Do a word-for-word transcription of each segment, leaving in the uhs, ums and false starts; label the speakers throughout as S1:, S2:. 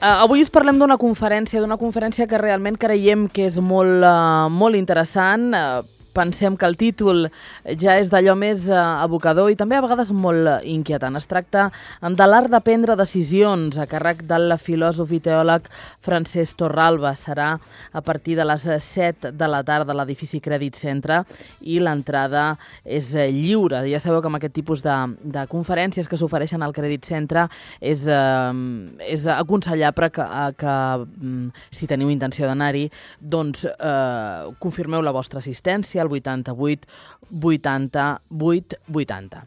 S1: Uh, avui us parlem d'una conferència, d'una conferència que realment creiem que és molt, uh, molt interessant. Uh, pensem que el títol ja és d'allò més uh, abocador i també a vegades molt uh, inquietant. Es tracta de l'art de prendre decisions a càrrec del filòsof i teòleg Francesc Torralba. Serà a partir de les set de la tarda a l'edifici Crèdit Centre i l'entrada és uh, lliure. Ja sabeu que amb aquest tipus de, de conferències que s'ofereixen al Crèdit Centre és, uh, és aconsellable que, que um, si teniu intenció d'anar-hi, doncs uh, confirmeu la vostra assistència al vuitanta-vuit vuitanta-vuit vuitanta.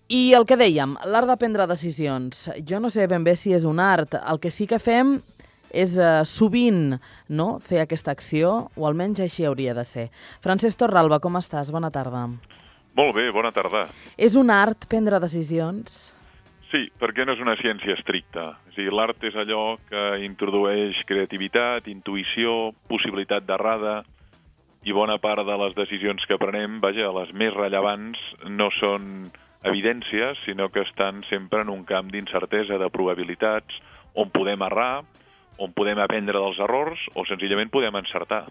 S1: I el que dèiem, l'art de prendre decisions. Jo no sé ben bé si és un art. El que sí que fem és uh, sovint no, fer aquesta acció, o almenys així hauria de ser. Francesc Torralba, com estàs? Bona tarda.
S2: Molt bé, bona tarda.
S1: És un art prendre decisions?
S2: Sí, perquè no és una ciència estricta. O sigui, l'art és allò que introdueix creativitat, intuïció, possibilitat d'errada, i bona part de les decisions que prenem, vaja, les més rellevants, no són evidències, sinó que estan sempre en un camp d'incertesa, de probabilitats, on podem errar, on podem aprendre dels errors, o senzillament podem encertar.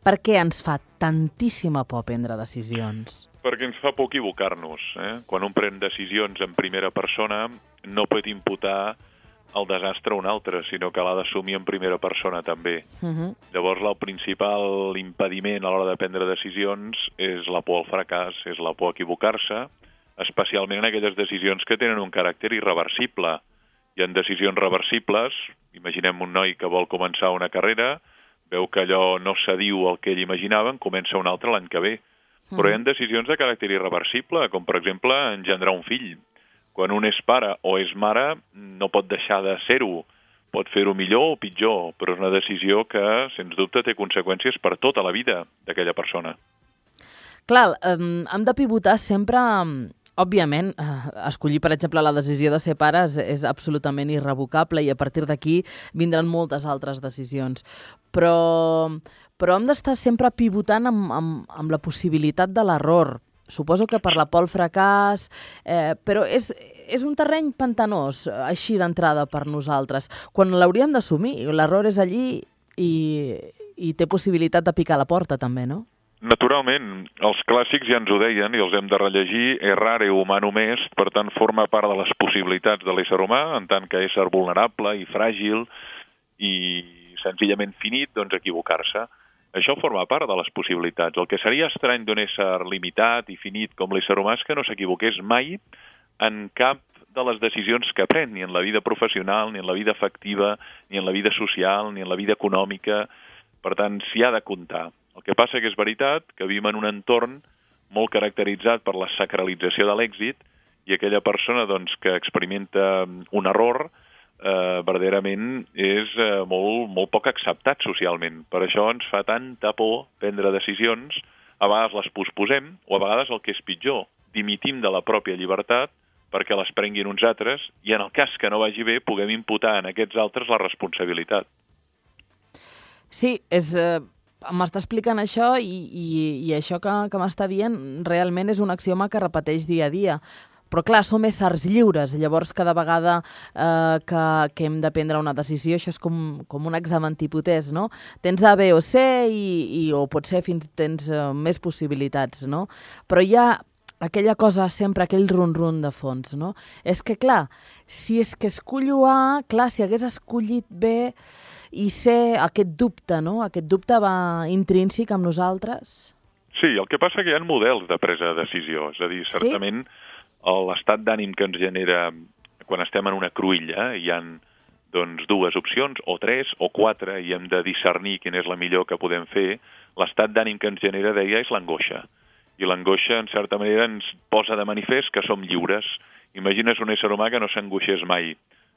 S1: Per què ens fa tantíssima por prendre decisions?
S2: Perquè ens fa por equivocar-nos. Eh? Quan un pren decisions en primera persona, no pot imputar el desastre a un altre, sinó que l'ha d'assumir en primera persona també. Uh-huh. Llavors, el principal impediment a l'hora de prendre decisions és la por al fracàs, és la por a equivocar-se, especialment en aquelles decisions que tenen un caràcter irreversible. Hi ha decisions reversibles, imaginem un noi que vol començar una carrera, veu que allò no s'adiu al que ell imaginava, en comença un altre l'any que ve. Uh-huh. Però hi ha decisions de caràcter irreversible, com per exemple engendrar un fill. Quan un és pare o és mare, no pot deixar de ser-ho. Pot fer-ho millor o pitjor, però és una decisió que, sens dubte, té conseqüències per tota la vida d'aquella persona.
S1: Clar, um, hem de pivotar sempre, òbviament, uh, escollir, per exemple, la decisió de ser pare és, és absolutament irrevocable i a partir d'aquí vindran moltes altres decisions. Però, però hem d'estar sempre pivotant amb, amb, amb la possibilitat de l'error. Suposo que per la por al fracàs, eh, però és, és un terreny pantanós, així d'entrada per nosaltres. Quan l'hauríem d'assumir, l'error és allí i, i té possibilitat de picar la porta també, no?
S2: Naturalment, els clàssics ja ens ho deien i els hem de rellegir, errare humanum est, per tant forma part de les possibilitats de l'ésser humà, en tant que ésser vulnerable i fràgil i senzillament finit, doncs equivocar-se. Això forma part de les possibilitats. El que seria estrany d'un ésser limitat i finit com l'ésser humà és que no s'equivoqués mai en cap de les decisions que pren, ni en la vida professional, ni en la vida afectiva, ni en la vida social, ni en la vida econòmica. Per tant, s'hi ha de comptar. El que passa que és veritat que vivim en un entorn molt caracteritzat per la sacralització de l'èxit i aquella persona doncs, que experimenta un error Eh, verdaderament és eh, molt, molt poc acceptat socialment. Per això ens fa tanta por prendre decisions, a vegades les posposem, o a vegades el que és pitjor, dimitim de la pròpia llibertat perquè les prenguin uns altres i en el cas que no vagi bé puguem imputar en aquests altres la responsabilitat.
S1: Sí, és... Eh... m'està explicant això i, i, i això que, que m'està dient realment és un axioma que repeteix dia a dia. Però clar, som éssers lliures, llavors cada vegada eh, que, que hem de prendre una decisió, això és com, com un examen tipus, no? Tens A, B o C i, i o potser fins tens eh, més possibilitats, no? Però hi ha aquella cosa sempre, aquell run-run de fons, no? És que clar, si és que escollo A, clar, si hagués escollit B i C, aquest dubte, no? Aquest dubte va intrínsec amb nosaltres?
S2: Sí, el que passa que hi ha models de presa de decisió, és a dir, certament... Sí? L'estat d'ànim que ens genera quan estem en una cruïlla, hi ha doncs, dues opcions, o tres, o quatre, i hem de discernir quina és la millor que podem fer. L'estat d'ànim que ens genera, deia, és l'angoixa. I l'angoixa, en certa manera, ens posa de manifest que som lliures. Imagines un ésser humà que no s'angoixés mai.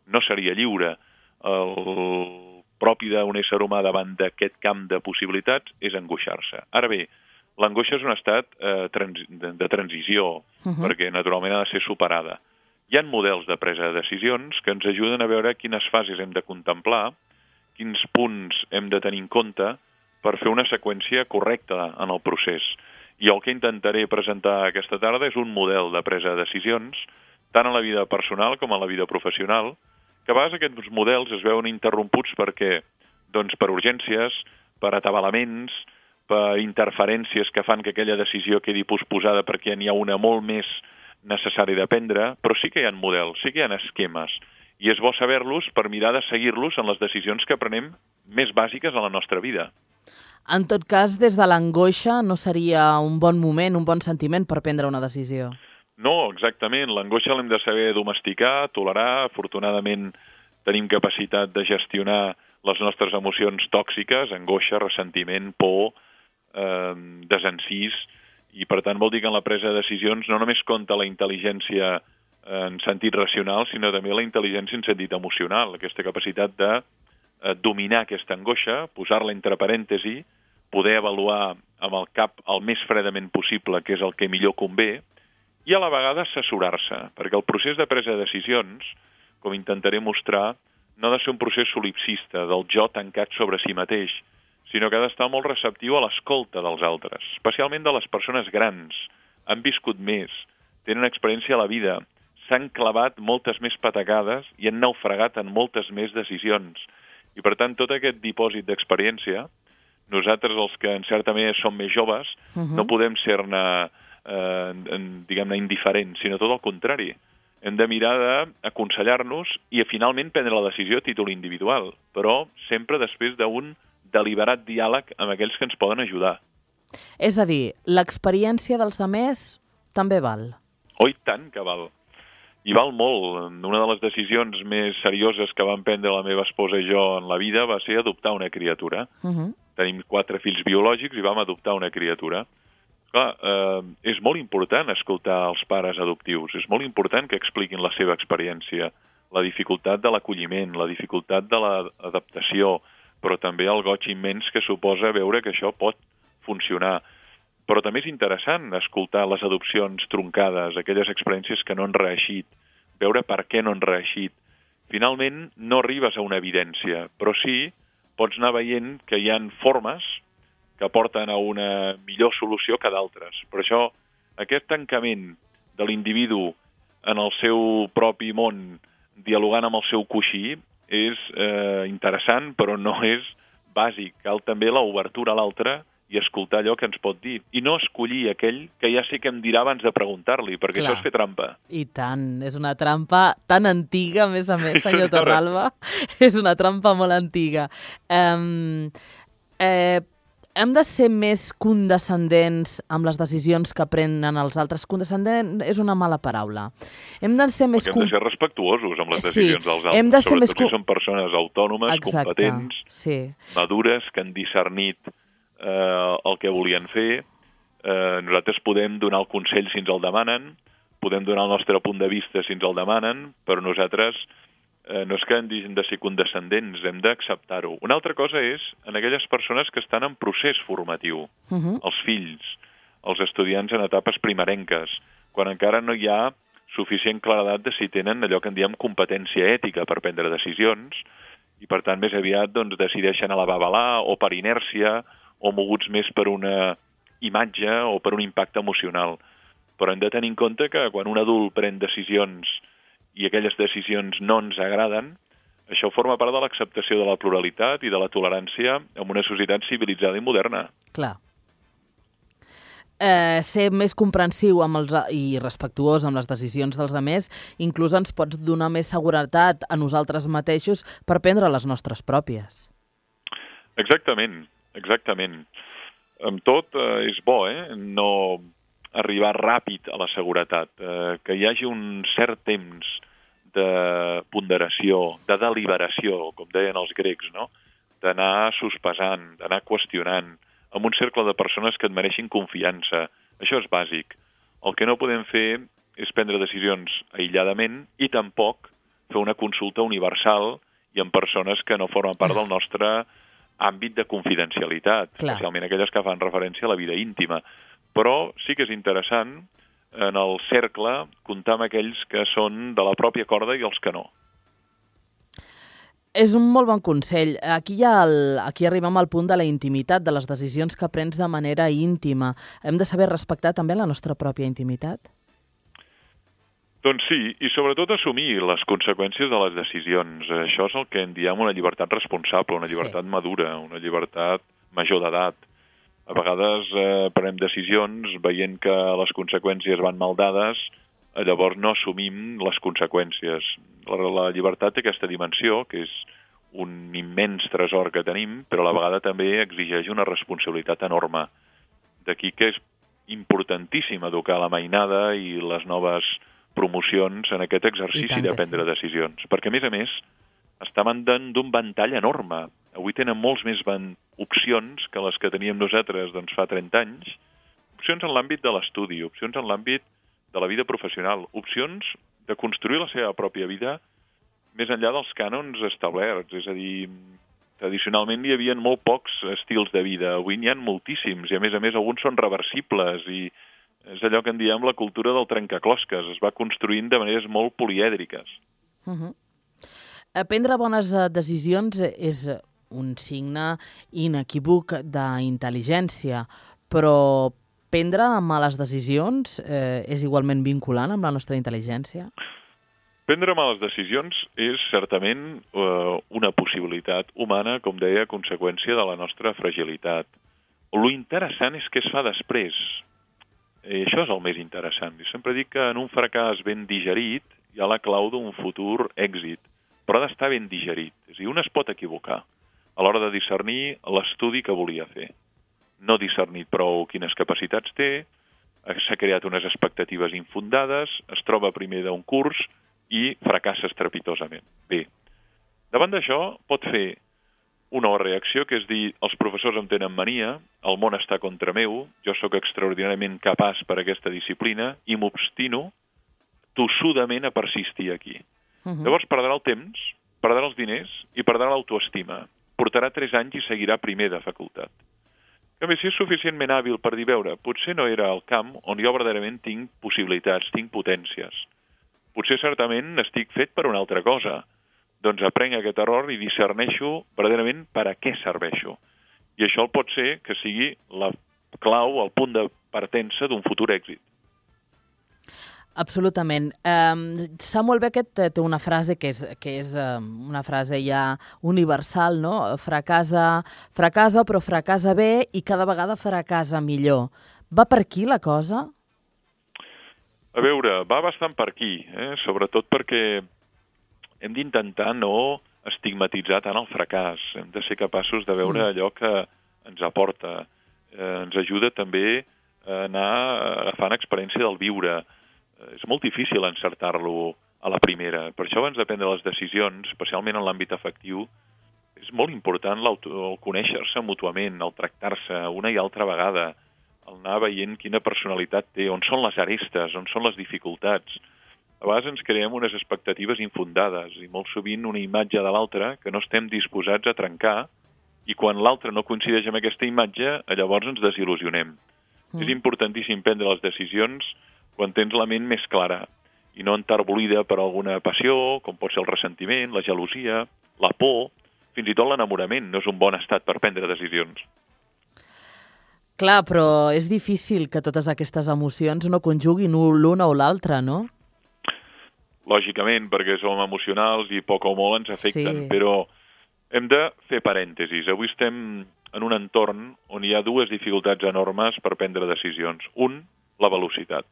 S2: No seria lliure. El propi d'un ésser humà davant d'aquest camp de possibilitats és angoixar-se. Ara bé, l'angoixa és un estat eh, trans de, de transició, uh-huh. perquè naturalment ha de ser superada. Hi ha models de presa de decisions que ens ajuden a veure quines fases hem de contemplar, quins punts hem de tenir en compte per fer una seqüència correcta en el procés. I el que intentaré presentar aquesta tarda és un model de presa de decisions, tant en la vida personal com en la vida professional, que a vegades aquests models es veuen interromputs perquè, doncs, per urgències, per atabalaments, per interferències que fan que aquella decisió quedi posposada perquè n'hi ha una molt més necessària de prendre, però sí que hi ha models, sí que hi ha esquemes, i és bo saber-los per mirar de seguir-los en les decisions que prenem més bàsiques a la nostra vida.
S1: En tot cas, des de l'angoixa no seria un bon moment, un bon sentiment per prendre una decisió.
S2: No, exactament. L'angoixa l'hem de saber domesticar, tolerar. Afortunadament tenim capacitat de gestionar les nostres emocions tòxiques, angoixa, ressentiment, por, eh, desencís, i per tant vol dir que en la presa de decisions no només compta la intel·ligència en sentit racional, sinó també la intel·ligència en sentit emocional, aquesta capacitat de eh, dominar aquesta angoixa, posar-la entre parèntesi, poder avaluar amb el cap el més fredament possible què és el que millor convé, i a la vegada assessorar-se, perquè el procés de presa de decisions, com intentaré mostrar, no ha de ser un procés solipsista, del jo tancat sobre si mateix, sinó que ha d'estar molt receptiu a l'escolta dels altres, especialment de les persones grans. Han viscut més, tenen experiència a la vida, s'han clavat moltes més patacades i han naufragat en moltes més decisions. I per tant, tot aquest dipòsit d'experiència, nosaltres, els que en certa manera som més joves, uh-huh. no podem ser-ne eh, diguem-ne indiferents, sinó tot el contrari. Hem de mirar d'aconsellar-nos i finalment prendre la decisió a títol individual, però sempre després d'un deliberat diàleg amb aquells que ens poden ajudar.
S1: És a dir, l'experiència dels altres també val.
S2: Oh, i tant que val. I val molt. Una de les decisions més serioses que vam prendre la meva esposa i jo en la vida va ser adoptar una criatura. Uh-huh. Tenim quatre fills biològics i vam adoptar una criatura. Clar, eh, és molt important escoltar els pares adoptius, és molt important que expliquin la seva experiència, la dificultat de l'acolliment, la dificultat de l'adaptació, però també el goig immens que suposa veure que això pot funcionar. Però també és interessant escoltar les adopcions truncades, aquelles experiències que no han reeixit, veure per què no han reeixit. Finalment, no arribes a una evidència, però sí pots anar veient que hi ha formes que porten a una millor solució que d'altres. Per això, aquest tancament de l'individu en el seu propi món, dialogant amb el seu coixí, és eh, interessant, però no és bàsic. Cal també l'obertura a l'altre i escoltar allò que ens pot dir. I no escollir aquell que ja sé que em dirà abans de preguntar-li, perquè Clar. Això és fer trampa.
S1: I tant, és una trampa tan antiga, a més a més, senyor Torralba. És una trampa molt antiga. Um, eh, Hem de ser més condescendents amb les decisions que prenen els altres. Condescendent és una mala paraula. Hem de ser més...
S2: Hem de ser respectuosos amb les decisions sí, dels altres.
S1: Hem de ser
S2: Sobretot
S1: més...
S2: si són persones autònomes, Exacte, competents,
S1: sí.
S2: madures, que han discernit eh, el que volien fer. Eh, nosaltres podem donar el consell si ens el demanen, podem donar el nostre punt de vista si ens el demanen, però nosaltres... Eh, no és que hem de ser condescendents, hem d'acceptar-ho. Una altra cosa és en aquelles persones que estan en procés formatiu, uh-huh. els fills, els estudiants en etapes primerenques, quan encara no hi ha suficient claredat de si tenen allò que en diem competència ètica per prendre decisions, i per tant més aviat doncs, decideixen a la babalà o per inèrcia o moguts més per una imatge o per un impacte emocional. Però hem de tenir en compte que quan un adult pren decisions i aquelles decisions no ens agraden, això forma part de l'acceptació de la pluralitat i de la tolerància en una societat civilitzada i moderna.
S1: Clar. Eh, ser més comprensiu amb els, i respectuós amb les decisions dels altres, inclús ens pots donar més seguretat a nosaltres mateixos per prendre les nostres pròpies.
S2: Exactament, exactament. Amb tot eh, és bo, eh? No arribar ràpid a la seguretat, eh, que hi hagi un cert temps de ponderació, de deliberació, com deien els grecs, no? D'anar sospesant, d'anar qüestionant, amb un cercle de persones que et mereixin confiança. Això és bàsic. El que no podem fer és prendre decisions aïlladament i tampoc fer una consulta universal i amb persones que no formen part del nostre àmbit de confidencialitat, Clar. Especialment aquelles que fan referència a la vida íntima. Però sí que és interessant en el cercle comptar amb aquells que són de la pròpia corda i els que no.
S1: És un molt bon consell. Aquí, hi ha el, aquí arribem al punt de la intimitat, de les decisions que prens de manera íntima. Hem de saber respectar també la nostra pròpia intimitat?
S2: Doncs sí, i sobretot assumir les conseqüències de les decisions. Això és el que en diem una llibertat responsable, una llibertat sí. madura, una llibertat major d'edat. A vegades eh, prenem decisions veient que les conseqüències van mal dades, llavors no assumim les conseqüències. La, la llibertat té aquesta dimensió, que és un immens tresor que tenim, però a la vegada també exigeix una responsabilitat enorme. D'aquí que és importantíssim educar la mainada i les noves promocions en aquest exercici de prendre sí. decisions. Perquè, a més a més, estaven d'un ventall enorme. Avui tenen molts més opcions que les que teníem nosaltres doncs, fa trenta anys. Opcions en l'àmbit de l'estudi, opcions en l'àmbit de la vida professional, opcions de construir la seva pròpia vida més enllà dels cànons establerts. És a dir, tradicionalment hi havia molt pocs estils de vida. Avui n'hi ha moltíssims i, a més a més, alguns són reversibles i és allò que en diem la cultura del trencaclosques. Es va construint de maneres molt polièdriques.
S1: Uh-huh. Prendre bones decisions és un signe inequívoc d'intel·ligència, però prendre males decisions eh, és igualment vinculant amb la nostra intel·ligència?
S2: Prendre males decisions és certament eh, una possibilitat humana, com deia, a conseqüència de la nostra fragilitat. Lo interessant és què es fa després. I això és el més interessant. Jo sempre dic que en un fracàs ben digerit hi ha la clau d'un futur èxit, però ha d'estar ben digerit. És a dir, un es pot equivocar a l'hora de discernir l'estudi que volia fer. No ha discernit prou quines capacitats té, s'ha creat unes expectatives infundades, es troba primer d'un curs i fracassa estrepitosament. Bé, davant d'això pot fer una reacció, que és dir, els professors em tenen mania, el món està contra meu, jo sóc extraordinàriament capaç per a aquesta disciplina i m'obstino tossudament a persistir aquí. Uh-huh. Llavors perdrà el temps, perdrà els diners i perdrà l'autoestima. Portarà tres anys i seguirà primer de facultat. A més, si és suficientment hàbil per dir, veure, potser no era el camp on jo verdaderament tinc possibilitats, tinc potències. Potser certament estic fet per una altra cosa. Doncs aprenc aquest error i discerneixo verdaderament per a què serveixo. I això el pot ser que sigui la clau, el punt de partença d'un futur èxit.
S1: Absolutament. Um, Samuel Beckett té una frase que és, que és um, una frase ja universal, no? Fracasa, fracasa, però fracasa bé i cada vegada fracasa millor. Va per aquí la cosa?
S2: A veure, va bastant per aquí, eh? Sobretot perquè hem d'intentar no estigmatitzar tant el fracàs. Hem de ser capaços de veure allò que ens aporta. Eh, ens ajuda també a anar agafant experiència del viure. Eh, és molt difícil encertar-lo a la primera. Per això, abans de prendre les decisions, especialment en l'àmbit afectiu, és molt important el conèixer-se mútuament, el tractar-se una i altra vegada, el anar veient quina personalitat té, on són les arestes, on són les dificultats. A vegades ens creem unes expectatives infundades i molt sovint una imatge de l'altre que no estem disposats a trencar i quan l'altre no coincideix amb aquesta imatge, llavors ens desil·lusionem. Mm. És importantíssim prendre les decisions quan tens la ment més clara i no enterbolida per alguna passió, com pot ser el ressentiment, la gelosia, la por, fins i tot l'enamorament. No és un bon estat per prendre decisions.
S1: Clar, però és difícil que totes aquestes emocions no conjuguin l'una o l'altra, no?
S2: Lògicament, perquè som emocionals i poc o molt ens afecten, sí. Però hem de fer parèntesis. Avui estem en un entorn on hi ha dues dificultats enormes per prendre decisions. Un, la velocitat.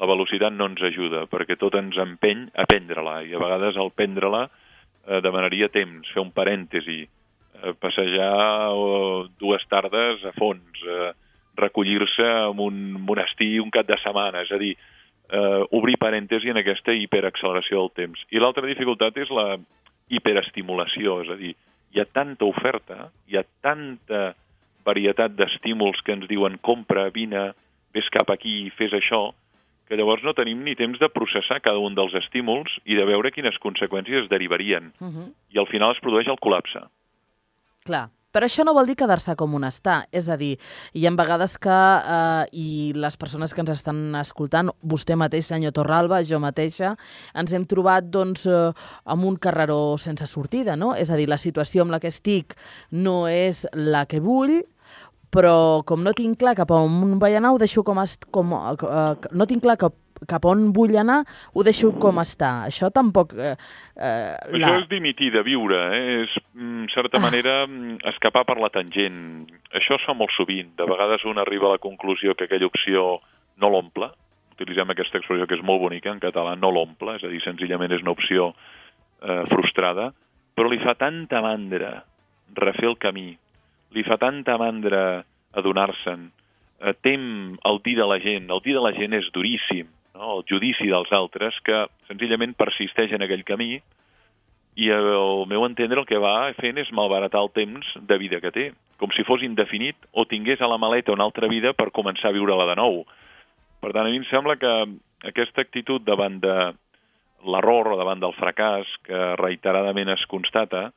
S2: La velocitat no ens ajuda, perquè tot ens empeny a prendre-la, i a vegades al prendre-la eh, demanaria temps, fer un parèntesi, eh, passejar eh, dues tardes a fons, eh, recollir-se en un monestir un cap de setmana, és a dir, Uh, obrir parèntesi en aquesta hiperacceleració del temps. I l'altra dificultat és la hiperestimulació, és a dir, hi ha tanta oferta, hi ha tanta varietat d'estímuls que ens diuen compra, vine, vés cap aquí, fes això, que llavors no tenim ni temps de processar cada un dels estímuls i de veure quines conseqüències es derivarien. Uh-huh. I al final es produeix el col·lapse.
S1: Clar. Però això no vol dir quedar-se com un està. És a dir, hi ha vegades que, eh, i les persones que ens estan escoltant, vostè mateix, senyor Torralba, jo mateixa, ens hem trobat doncs, eh, amb un carreró sense sortida, no? És a dir, la situació amb la que estic no és la que vull, però com no tinc clar cap on vaig anar, ho deixo com... Est com eh, no tinc clar cap cap on vull anar, ho deixo com està. Això tampoc... Eh, eh,
S2: Això la... és dimitir de viure, eh? És, en certa ah. manera, escapar per la tangent. Això es fa molt sovint. De vegades un arriba a la conclusió que aquella opció no l'omple. Utilitzem aquesta expressió que és molt bonica en català, no l'omple, és a dir, senzillament és una opció eh, frustrada, però li fa tanta mandra refer el camí, li fa tanta mandra adonar-se'n, eh, tem el dir de la gent, el dir de la gent és duríssim, no? El judici dels altres, que senzillament persisteix en aquell camí i al meu entendre el que va fent és malbaratar el temps de vida que té, com si fos indefinit o tingués a la maleta una altra vida per començar a viure-la de nou. Per tant, a mi em sembla que aquesta actitud davant de l'error o davant del fracàs que reiteradament es constata,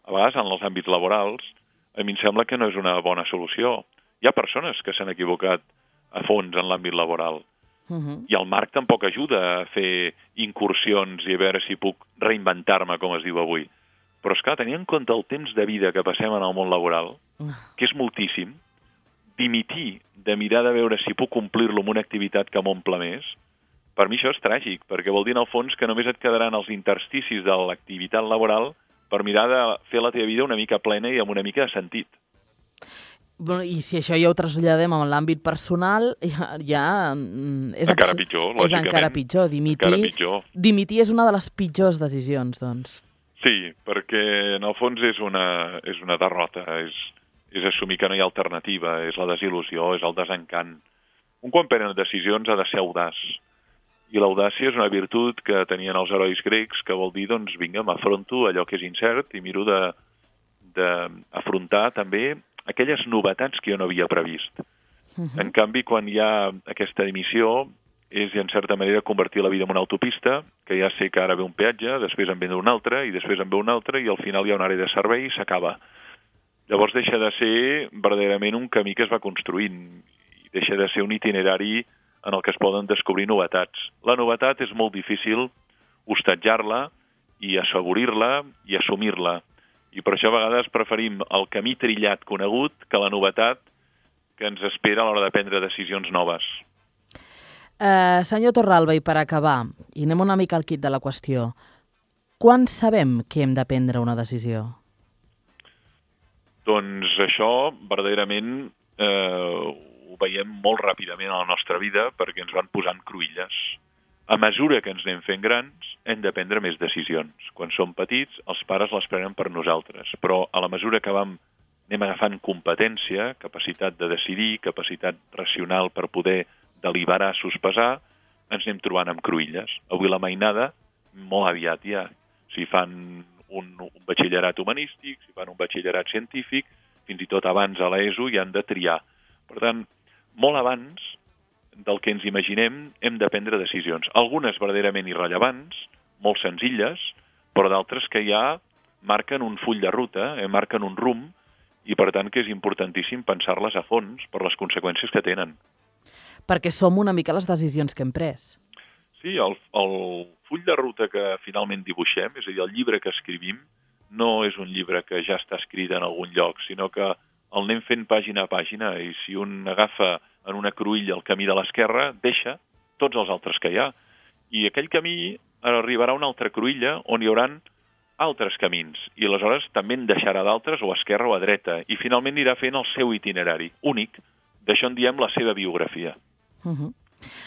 S2: a vegades en els àmbits laborals, a mi em sembla que no és una bona solució. Hi ha persones que s'han equivocat a fons en l'àmbit laboral. Uh-huh. I el marc tampoc ajuda a fer incursions i a veure si puc reinventar-me, com es diu avui. Però, esclar, tenint en compte el temps de vida que passem en el món laboral, que és moltíssim, dimitir de mirar de veure si puc complir-lo amb una activitat que m'omple més, per mi això és tràgic, perquè vol dir, en el fons, que només et quedaran els intersticis de l'activitat laboral per mirar de fer la teva vida una mica plena i amb una mica de sentit.
S1: Bueno, i si això ja ho traslladem en l'àmbit personal, ja, ja és,
S2: encara pitjor, lògicament.
S1: És encara pitjor. Dimitir,
S2: encara pitjor.
S1: Dimitir és una de les pitjors decisions, doncs.
S2: Sí, perquè en el fons és una, és una derrota, és, és assumir que no hi ha alternativa, és la desil·lusió, és el desencant. Un quan pren decisions ha de ser audaç. I l'audàcia és una virtut que tenien els herois grecs, que vol dir, doncs, vinga, m'afronto allò que és incert i miro d'afrontar també aquelles novetats que jo no havia previst. Uh-huh. En canvi, quan hi ha aquesta dimissió, és, en certa manera, convertir la vida en una autopista, que ja sé que ara ve un peatge, després en ve un altre, i després en ve un altre, i al final hi ha una àrea de servei i s'acaba. Llavors deixa de ser verdaderament un camí que es va construint, i deixa de ser un itinerari en el que es poden descobrir novetats. La novetat és molt difícil hostatjar-la i assaborir-la i assumir-la. I per això a vegades preferim el camí trillat conegut que la novetat que ens espera a l'hora de prendre decisions noves.
S1: Uh, senyor Torralba, i per acabar, i anem una mica al quid de la qüestió, quan sabem que hem de prendre una decisió?
S2: Doncs això, verdaderament, eh, ho veiem molt ràpidament a la nostra vida perquè ens van posant cruïlles. A mesura que ens anem fent grans, hem de prendre més decisions. Quan som petits, els pares les prenen per nosaltres, però a la mesura que vam, anem agafant competència, capacitat de decidir, capacitat racional per poder deliberar, sospesar, ens anem trobant amb cruïlles. Avui la mainada, molt aviat ja, si fan un, un batxillerat humanístic, si fan un batxillerat científic, fins i tot abans a l'ESO ja han de triar. Per tant, molt abans del que ens imaginem, hem de prendre decisions. Algunes verdaderament irrellevants, molt senzilles, però d'altres que ja marquen un full de ruta, eh, marquen un rumb, i per tant que és importantíssim pensar-les a fons per les conseqüències que tenen.
S1: Perquè som una mica les decisions que hem pres.
S2: Sí, el, el full de ruta que finalment dibuixem, és a dir, el llibre que escrivim, no és un llibre que ja està escrit en algun lloc, sinó que el anem fent pàgina a pàgina, i si un agafa en una cruïlla el camí de l'esquerra, deixa tots els altres que hi ha. I aquell camí arribarà a una altra cruïlla on hi hauran altres camins, i aleshores també en deixarà d'altres o a esquerra o a dreta, i finalment anirà fent el seu itinerari únic. D'això en diem la seva biografia.
S1: Uh-huh.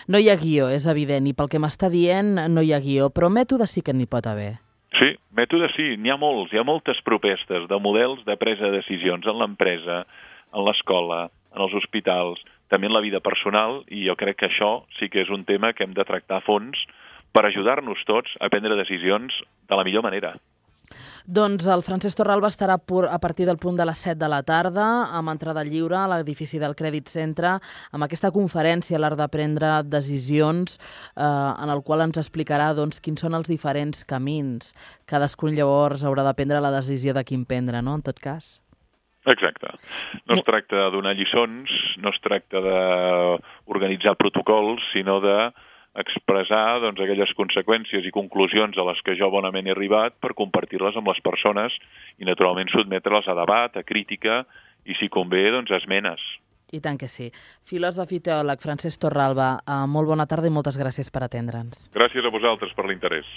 S1: No hi ha guió, és evident, i pel que m'està dient no hi ha guió, però mètode sí que n'hi pot haver.
S2: Sí, mètode sí, n'hi ha molts, hi ha moltes propostes de models de presa de decisions en l'empresa, en l'escola, en els hospitals, també en la vida personal, i jo crec que això sí que és un tema que hem de tractar a fons per ajudar-nos tots a prendre decisions de la millor manera.
S1: Doncs el Francesc Torralba estarà a partir del punt de les set de la tarda amb entrada lliure a l'edifici del Crèdit Centre amb aquesta conferència a l'art de prendre decisions eh, en el qual ens explicarà doncs, quins són els diferents camins. Cadascun llavors haurà de prendre la decisió de quin prendre, no?, en tot cas.
S2: Exacte. No es tracta de donar lliçons, no es tracta d'organitzar protocols, sinó de expressar doncs, aquelles conseqüències i conclusions a les que jo bonament he arribat per compartir-les amb les persones i, naturalment, sotmetre-les a debat, a crítica i, si convé, doncs, a esmenes.
S1: I tant que sí. Filòsof i teòleg Francesc Torralba, eh, molt bona tarda i moltes gràcies per atendre'ns.
S2: Gràcies a vosaltres per l'interès.